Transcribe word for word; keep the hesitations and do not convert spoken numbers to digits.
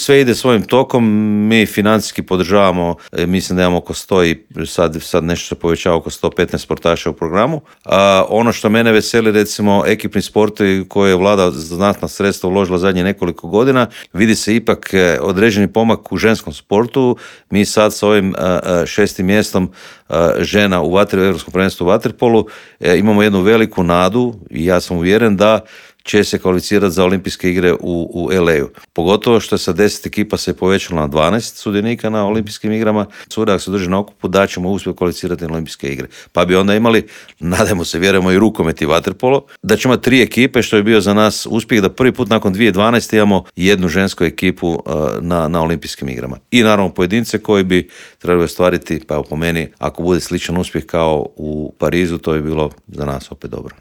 Sve ide svojim tokom, mi financijski podržavamo, mislim da imamo oko sto i sad, sad nešto se povećava oko sto petnaest sportaša u programu. A ono što mene veseli, recimo ekipni sportovi koje je vlada znatna sredstva uložila zadnje nekoliko godina, vidi se ipak određeni pomak u ženskom sportu. Mi sad s ovim šestim mjestom žena u vatri, u Europskom prvenstvu u vaterpolu imamo jednu veliku nadu i ja sam uvjeren da će se kvalificirati za olimpijske igre u, u el ej-u. Pogotovo što sa deset ekipa se povećalo na dvanaest sudionika na olimpijskim igrama. Cure, ako se drži na okupu, da ćemo uspjeti kvalificirati na olimpijske igre. Pa bi onda imali, nadamo se, vjerujemo i rukomet i vaterpolo, da ćemo tri ekipe, što je bio za nas uspjeh, da prvi put nakon dvije tisuće dvanaeste imamo jednu žensku ekipu uh, na, na olimpijskim igrama. I naravno pojedince koji bi trebali ostvariti, pa po meni, ako bude sličan uspjeh kao u Parizu, to je bilo za nas opet dobro.